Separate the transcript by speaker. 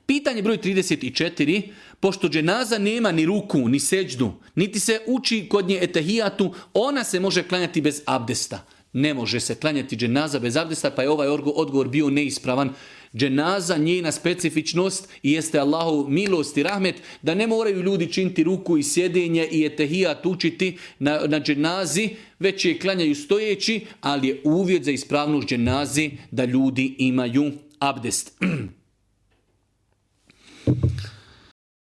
Speaker 1: Pitanje broj 34. Pošto dženaza nema ni ruku, ni seđdu, niti se uči kod nje etehijatu, ona se može klanjati bez abdesta. Ne može se klanjati dženaza bez abdesta, pa je ovaj odgovor bio neispravan. Dženaza, njena specifičnost i jeste Allahov milost i rahmet da ne moraju ljudi činiti ruku i sjedenje i etehijat učiti na dženazi, već je klanjaju stojeći, ali je uvjet za ispravnost dženazi da ljudi imaju abdest.